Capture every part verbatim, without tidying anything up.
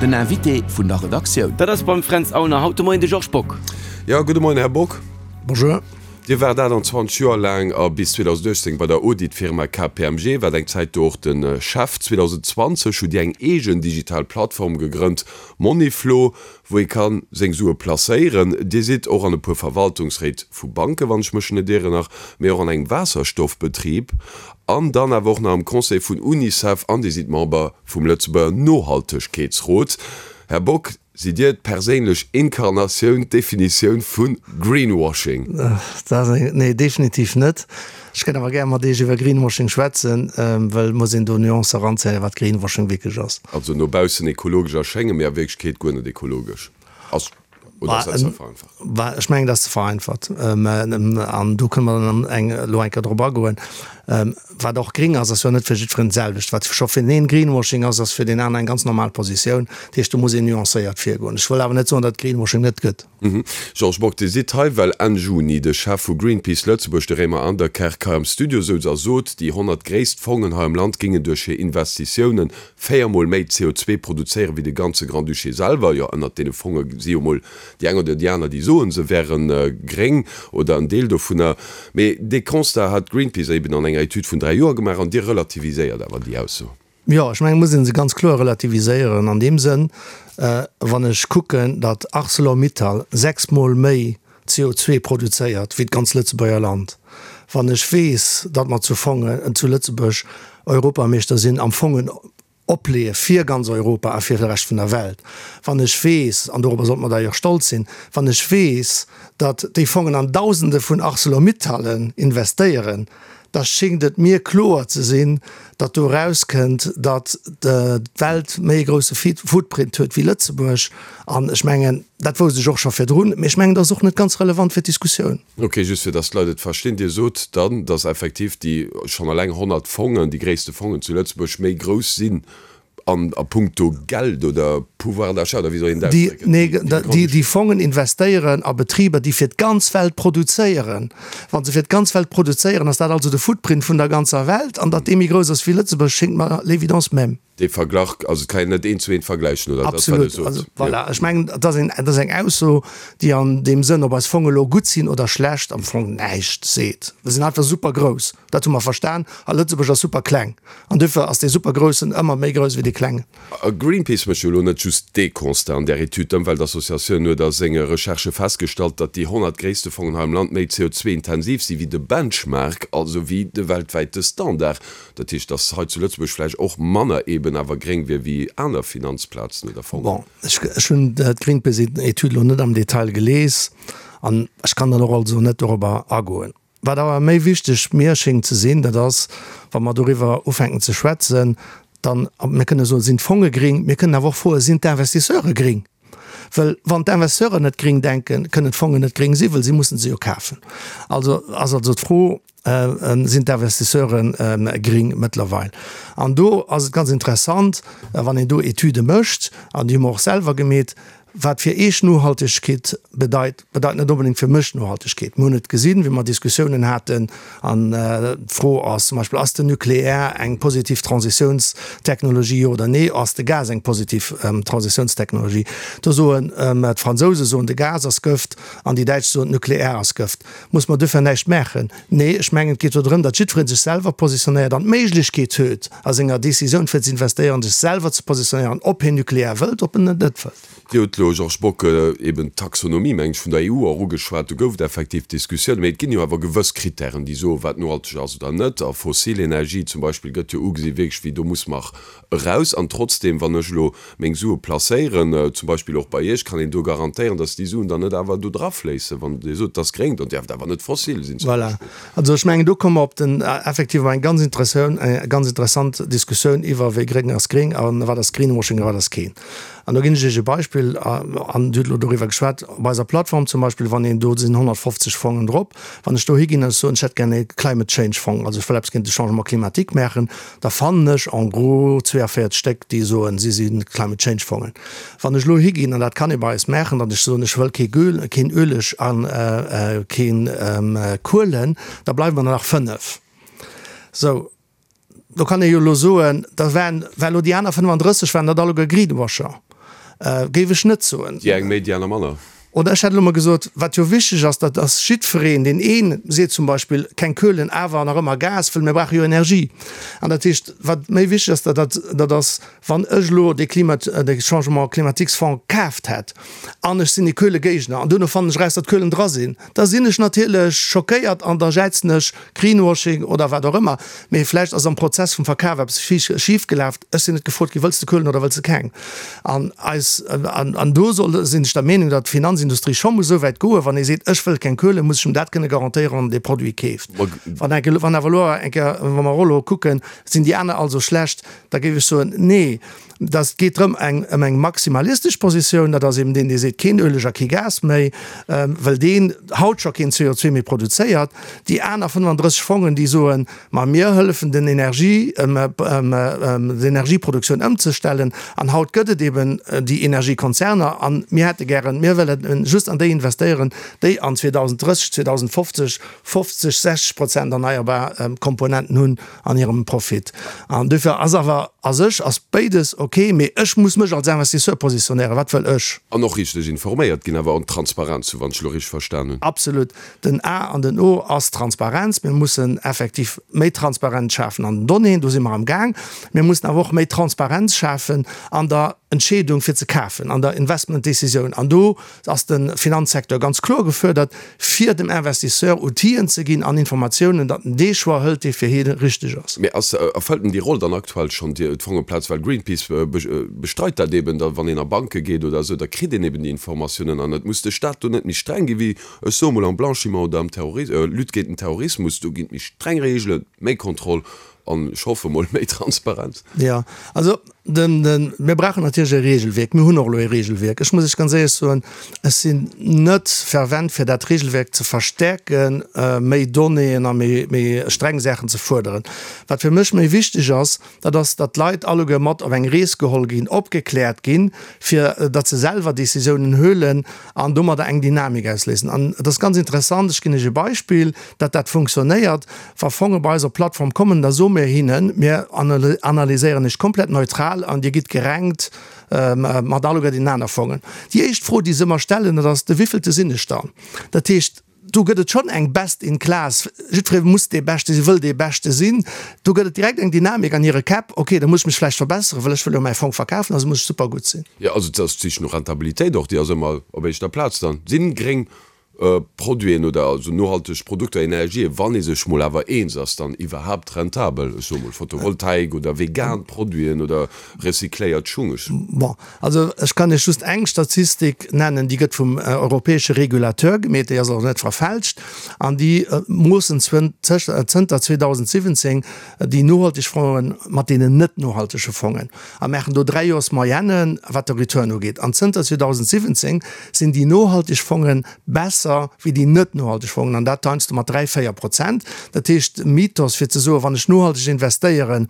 Den Invité vun der Redaktioun. Dat ass beim Fränz Aulner haut de Moien de Georges Bock. Jo, gudde Moien, Här Bock. Bonjour. Dir waart aachtanzwanzeg Joer laang a bis zweedausenduechtzéng bei der Auditfirma K P M G, waart eng Zäit do och de Chef. Zweedausendzwanzeg hutt Dir eng eegen digital Plattform gegrënnt, Moneyflow, wou ee ka seng Sue placéieren. Dir sidd och an e puer Verwaltungsréit vu Banken, wann ech mech net ieren, nach, mee och an engem Waasserstoffbetrib an dann awer och nach am Conseil vun Unicef an Dir sidd Member vum Lëtzebuerger Nohaltegkeetsrot. Här Bock, sidd Dir d'perséinlech Inkarnatioun, d'Definitioun vu Greenwashing? Nee, definitiv net. Ech kënnt awer gär mat Iech iwwer Greenwashing schwätzen, well et muss een do Nuancen eranzéien, wat Greenwashing wierklech ass. Also no baussen ekologesch erschéngen, mee a Wierklechkeet guer net ekologesch ass, oder ass dat ze vereinfacht? Ech mengen, dat ass ze vereinfacht. An do kënne mer dann eng elo eng Kéier drop agoen. Wat och gring ass, ass jo net fir jiddwereen d'selwecht. Wat scho fir den een Greenwashing ass, ass fir deen aner eng ganz normal Positioun. Dat heescht, do muss een nuancéiert virgoen. Ech wëll awer net soen, datt et Greenwashing net gëtt. Georges Bock, Dir sidd hei, well Enn Juni de Chef vu Greenpeace Lëtzebuerg, de Raymond Anderkerk, hei am Studio souz a sot, déi honnert gréisst Fongen hei am Land géingen duerch hir Investitiounen véier Mol méi C O zwee produzéieren, wéi de ganze Grand-Duché selwer. Jo, ënnert deene Fonge si jo mol déi eng oder déi aner, déi soen, se wäre gréng oder en Deel dovunner. Mee dee Constat hat Greenpeace eben an enger Etüd vun dräi Joer gemaach an Dir relativiséiert awer déi Ausso. Jo, ech mengen, et muss ee se ganz kloer relativiséieren an deem Sënn, wann ech kucken, datt Arcelor-Mittal sechs Mol méi C O zwee produzéiert wéi d'ganz Lëtzebuerger Land, wann ech weess, datt mer zu Fongen zu Lëtzebuerg Europameeschter sinn am Fongen opleeë fir ganz Europa a fir de Rescht vun der Welt, wann ech weess, an dorobber sollte mer d'ailleurs stolz sinn, wann ech weess, datt déi Fongen an Dausende vun Arcelor-Mittallen investéieren, da schéngt et mir kloer ze sinn, datt do erauskënnt, datt d'Welt méi e grousse Footprint huet wéi Lëtzebuerg. An ech mengen, dat wousst ech och scho virdrun, mee ech mengen, dat ass och net ganz relevant fir d'Diskussioun. Ok, just fir datt d'Leit et verstinn, Dir sot dann, datt effektiv déi schonn eleng honnert Fongen, déi gréisste Fongen zu Lëtzebuerg, méi grouss sinn an a puncto Geld oder Pouvoir d'achat oder wéi soll een dat ausdrécken? Nee, déi Fongen investéieren a Betriber, déi fir d'ganz Welt produzéieren. Wa se fir d'ganz Welt produzéieren, ass dat also de Footprint vun der ganzer Welt. An datt dee méi grouss ass wéi Lëtzebuerg, schéngt mer l'évidence même. Dee Verglach, also et kann een net eent zu eent vergläichen, oder? Absolut. Also voilà, ech mengen, dat ass een, dat ass eng Ausso, déi an deem Sënn, ob eis Fonge elo gutt sinn oder schlecht, am Fong näischt seet. Se sinn einfach super grouss, dat hu mer verstan, a Lëtzebuerg ass super kleng. An duerfir ass dee super Groussen ëmmer méi grouss wéi dee Klengen. A Greenpeace mécht jo elo net just dee Constat an där Etüd. D'Ëmweltassociatioun huet a senge Recherchë festgestallt, datt déi honnert gréisste Fongen hei am Land méi C O zwee intensiv si wéi de Benchmark, also wéi de weltwäite Standard. Dat heescht, datt hei zu Lëtzebuerg vläicht och manner eeben awer gréng wier wéi aner Finanzplazen oder Fongen. Bon, ech hunn d'Greenpeace-Etüd elo net am Detail gelies an ech kann dann och also net dorobber agoen. Wat awer méi wichteg mir schéngt ze sinn, dat ass, wa mer doriwwer ufänken ze schwätzen, dann, mir kënne soen, sinn d'Fonge gring, mir kënnen awer och froen, sinn d'Investisseure gring? Well wann d'Investisseuren net gring denken, kënnen d'Fongen net gring sinn, well si mussen se jo kafen. Also ass also d'Fro, sinn d'Investisseure gring mëttlerweil? An do ass et ganz interessant, wann een do Etüde mécht, an déi hu mer och selwer gemeet, wat fir Iech Nohaltegkeet bedeit, bedeit net onbedéngt fir mech Nohaltegkeet. Mir hunn et gesinn, wéi mer Diskussiounen haten, an d'Fro ass zum Beispill, Ass den Nucléaire eng positiv Transitiounstechnologie, jo oder nee? Ass de Gas eng positiv Transitiounstechnologie? Do soen d'Fransouse soen, de Gas ass Gëft, an déi Däitsch soen, d'Nucléaire ass Gëft. Muss mer duerfir näischt maachen? Nee, ech mengen, et geet do drëm, datt jiddweree sech selwer positionéiert an d'Méiglechkeet huet, a senger Décisioun fir ze investéieren, sech selwer ze positionéieren, ob hien Nucléaire wëllt, ob en et net wëllt. Dir hutt elo, Georges Bock, eben d'Taxonomie, meng ech, vun der E U och ugeschwat. Do gouf et effektiv Diskussiounen. Mee et ginn jo awer gewëss Kritären, déi soen, wat nohalteg ass oder net. A fossil Energie zum Beispill gëtt jo ugesi wierklech wéi, do muss mer eraus. An trotzdem, wann ech elo meng Sue placéieren, zum Beispill och bei Iech, kann een do garantéieren, datt déi Suen dann net awer do drafléissen, wann Dir sot, et ass gréng, dann däerf et awer net fossil sinn zum Voilà. Beispill. Also ech mengen, do komme mer op den, effektiv op eng ganz interessant, ganz interessant Diskussioun iwwer wéi gréng ass gréng a wat ass Greenwashing a wat ass keen. An do ginn ech Iech e Beispill, an Dir hutt elo doriwwer geschwat, op eiser Plattform zum Beispill, wann een, do sinn honnertfofzeg Fongen drop, wann ech do higinn an ech soen, ech hätt gär e Climate Change Fong, also ech wëll eppes géint de Changement climatique maachen, da fannen ech en gros zweeavéierzeg Stéck, déi soen, si si Climate Change Fongen. Wann ech elo higinn, an dat kann ee bei eis maachen, datt ech soen, ech wëll kee Göl, keen Ueleg a keen Kuelen, da bleiwe mer nach fënnef. Sou. Do kann ee jo elo soen, da waren, war elo déi aner fënnefandrësseg, waren dat alleguer Greenwasher. Géif ech net soen. Déi eng méi, déi aner manner. Oder ech hätt elo mol gesot, wat jo wichteg ass, dat ass jiddwereen, deen een seet zum Beispill, keng Köhlen, awer nach ëmmer Gas, wëll mir brauche jo Energie. An dat heescht, wat méi wichteg ass, dat, dat ass, wann ech elo dee Klima, dee Changement climatiques Fonds kaaft hätt an ech sinn e Köhlegéigner an duerno fannen ech eraus, datt Köhlen dra sinn, da sinn ech natierlech schockéiert an da jäizen ech Greenwashing oder wat och ëmmer. Mee vläicht ass am Prozess vum Verkaf eppes schifgelaf, ech sinn net gefrot ginn, wëlls de Köhlen oder wëlls de keng? An eis, an do soll, sinn ech der Meenung, datt d'Finanzindustrie scho muss esou wäit goen, wann ee seet, ech wëll keng Köhlen, muss ech em dat kënne garantéieren, wann en dee Produit keeft. Wann enke, wann awer elo eng Kéier, wa mer och elo kucken, sinn déi aner also schlecht, da géif ech soen, nee, dat geet drëm eng, ëm eng maximalistesch Positioun, dat ass eben deen, dee seet, keen Ueleg a kee Gas méi, well deen haut scho keen C O zwee méi produzéiert. Déi aner fënnefandrësseg Fongen, déi soen, ma mir hëllefen den Energie, d'Energieproduktioun ëmzestellen an haut gëtt et eben déi Energiekonzerner an mir hätte gären, mir wëllen just an déi investéieren, déi an zweedausenddrësseg, zweedausendfofzeg fofzeg, sechzeg Prozent erneierbar Komponenten hunn an hirem Profit. An duerfir ass awer a sech ass béides ok, mee ech muss mech als Investisseur positionéieren, wat wëll ech? An och richteg informéiert ginn, awer an Transparenz, wann ech elo richteg verstan hunn. Absolut. Den A an den O ass Transparenz. Mir mussen effektiv méi Transparenz schafen an den Donnéeën, do si mer am Gaang. Mir mussen awer och méi Transparenz schafen an der Entscheedung fir ze kafen, an der Investmentdecisioun. An do ass de Finanzsecteur ganz kloer gefuerdert, fir dem Investisseur Outiller ze ginn an Informatiounen, datt en dee Choix hëlt, dee fir hie richteg ass. Mee ass, erfëllt en déi Roll dann aktuell schonn, déi d'Fongeplaz? Well Greenpeace bestreit dat eben, datt wann een a Banke geet oder esou, da kritt een eben déi Informatiounen. An et muss de Staat do net méi streng gi wéi, ech soe mol, am Blanchiment oder am Terroris, Lutte géint den Terrorismus. Do ginn et méi streng Reegelen, méi Kontroll an ech hoffe mol méi Transparenz. Jo, also den, den, mir brauchen natierlech e Regelwierk. Mir hunn och elo e Regelwierk. Ech muss Iech ganz éierlech soen, ech sinn net fervent fir dat Regelwierk ze verstärken, méi Donnéeën a méi, méi streng Saachen ze fuerderen. Wat fir mech méi wichteg ass, dat ass, datt d'Leit alleguer mat op eng Rees geholl ginn, opgekläert ginn, fir datt se selwer Décisiounen huelen an domadder eng Dynamik ausléisen. An et ass ganz interessant, ech ginn Iech e Beispill, datt dat funktionéiert, Wa Fonge bei eis op d'Plattform kommen, da soe mir hinnen, mir analyséieren Iech komplett neutral an Dir gitt gerankt mat alleguer deenen aner Fongen. Déi éischt Fro, déi se ëmmer stellen, dat ass, De wéivillte sinn ech dann? Dat heescht, do gëtt et schonn eng Best in Class, jiddweree muss dee Beschte sinn, wëll dee Beschte sinn. Do gëtt et direkt eng Dynamik an hire Käpp, ok, da muss ech mech vläicht verbesseren, well ech wëll jo mäi Fong verkafen, also muss ech super gutt sinn. Jo, also et ass d'Sich no Rentabilitéit och, déi ass ëmmer op éischter Plaz dann. Sinn gréng Produiten oder also nohalteg Produkter, Energien, wann ee sech mol awer eens ass, dann iwwerhaapt rentabel? Ech soe mol Photovoltaik oder vegan Produiten oder recycléiert Schung. Ech. Bon, also ech kann Iech just eng Statistik nennen, déi gëtt vum europäesche Regulateur gemeet, déi ass och net verfälscht, an déi moossen zënter zweedausendsiwwenzéng déi nohalteg Fongen mat deenen net nohaltege Fongen a maachen do dräi Joers Moyennen, wat de Return ugeet. An zënter zweedausendsiwwenzéng sinn déi nohalteg Fongen besser wéi déi net nohalteg Fongen, an dat heiansdo mat dräi, véier Prozent. Dat heescht, de Mythos fir ze soen, wann ech nohalteg investéieren,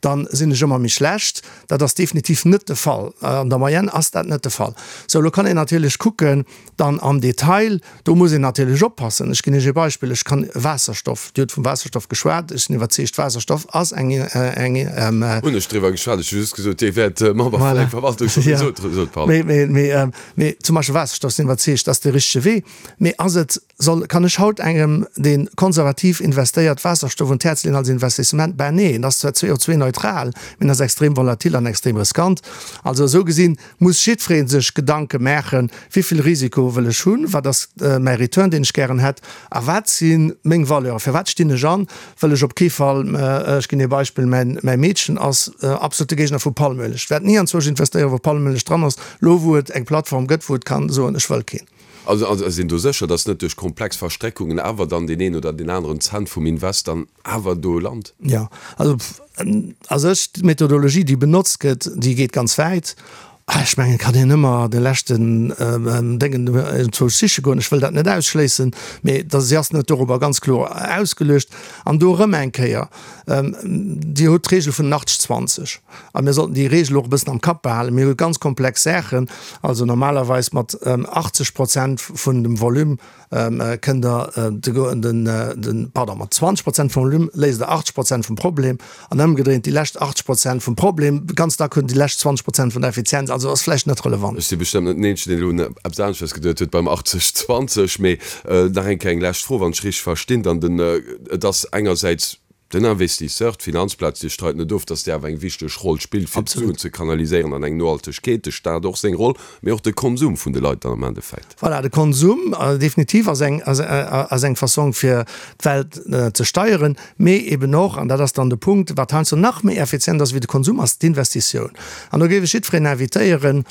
da sinn ech ëmmer méi schlecht, dat ass definitiv net de Fall. An der Moyenne ass dat net de Fall. Sou, elo kann een natierlech kucken dann am Detail, do muss een natierlech oppassen. Ech ginn Iech e Beispill, ech kann Waasserstoff, Dir hutt vum Waasserstoff geschwat, ech sinn iwwerzeegt, Waasserstoff ass eng, eng. Hunn ech driwwer geschwat, ech hu just gesot, Dir wäert Member vun engem Verwaltungsrot, sot Paul. Mee, mee, mee zum Beispill Waasserstoff, sinn iwwerzeegt, ass de richtege Wee. Mee ass et, soll, kann ech haut engem, dee konservativ investéiert, Waasserstoff un d'Häerz leeën als Investissement? Ben nee, en ass zwar C O zwei neutral, mee en ass extrem volatil an extrem riskant. Also esou gesinn muss jiddweree sech Gedanke maachen, Wéi vill Risiko wëll ech hunn? Wat ass mäi Return, deen ech gären hätt? A wat si meng Valeuren? Fir wat stinn ech an? Wëll ech op kee Fall, ech ginn ee Beispill, mäin, mäi Meedchen ass absolute Géigner vu Palmöleg. Ech wäert ni anzwousch investéieren, wou Palmöleg dran ass, elo wou et eng Plattform gëtt, wou et kann soen, ech wëll keen. Also ass een do sécher, dass net duerch komplex Verstréckungen awer dann deen een oder deen aneren Cent vum Invest dann awer do lant? Jo, also a sech d'Methodologie, déi benotzt gëtt, déi geet ganz wäit. Ech mengen, et kann een ëmmer de leschten Déngen enzwousch siche goen. Ech wëll dat net ausschléissen, mee si ass net dorobber ganz kloer ausgeluecht. An do erëm eng Kéier, Dir hutt d'Regel vun den achtzeg zwanzeg a mir sollten déi Regel och e bëssen am Kapp behalen. Mir hu ganz komplex Saachen, also normalerweis mat achtzeg Prozent vun dem Volume kënnt Der de, pardon, mat zwanzeg Prozent vum Volume léist Der achtzeg Prozent vum Problem an ëmgedréint déi lescht achtzeg Prozent vum Problem, ganz dack hunn déi lescht zwanzeg Prozent vun der Effizienz. Also Also ass vläicht net relevant. Ech si bestëmmt net den Eenzegen, deen elo un eppes aneschters geduet huet beim achtzeg zwanzeg. Mee nach eng Kéier eng lescht Fro, wann ech richteg verstinn, dann den, et ass engersäits den Investisseur, d'Finanzplaz, Dir streit net of, datt déi awer eng wichteg Roll spillt, fir d'Suen ze kanaliséieren an eng Nohaltegkeet, de Staat och seng Roll, mee och de Konsum vun de Leit dann am Endeffekt. Voilà, de Konsum definitiv ass eng, ass eng Fassong fir d'Welt ze steieren, mee eben och, an dat ass dann de Punkt, wat heiansdo nach méi effizient ass wéi de Konsum, ass d'Investitioun. An do géif ech jiddwereen invitéieren,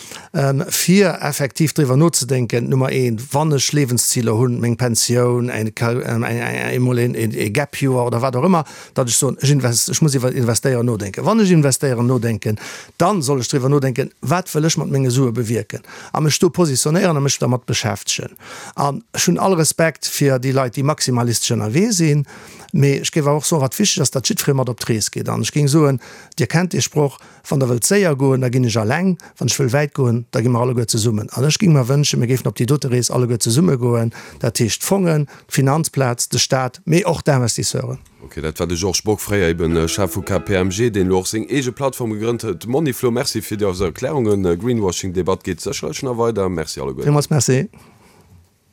fir effektiv driwwer nozedenken, Nummer eent, wann ech Liewensziler hunn, meng Pensioun, emol ee Gap-Joer oder wat och ëmmer, datt ech soen, ech invest, ech muss iwwer Investéieren nodenken. Wann ech investéieren nodenken, da soll ech driwwer nodenken, wat wëll ech mat menge Sue bewierken a mech do positionéieren a mech dermat beschäftegen. An ech hunn all Respekt fir déi Leit, déi maximalistesch ënnerwee sinn, mee ech géif awer och soen, wat wichteg ass, datt jiddweree mat op d'Rees geet. An ech géing soen, Dir kennt dee Sproch, Wann Der wëllt séier goen, da ginn ech alleng, wann ech wëll wäit goen, da gi mer alleguer zesummen. An ech géing mer wënschen, mir géifen op déi dote Rees alleguer zesumme goen, dat heescht d'Fongen, d'Finanzplaz, de Staat, mee och d'Investisseuren. Ok, dat war de Georges Bock, fréier eben Chef vu K P M G, deen elo och seng eege Plattform gegrënnt huet, Moneyflow. Merci fir déi Erklärungen. Greenwashing-Debatt geet sécherlech nach weider. Merci alleguerten. Villmools merci.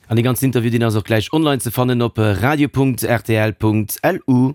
An dee ganzen Interview, deen ass och gläich online ze fannen op radio Punkt rtl Punkt lu.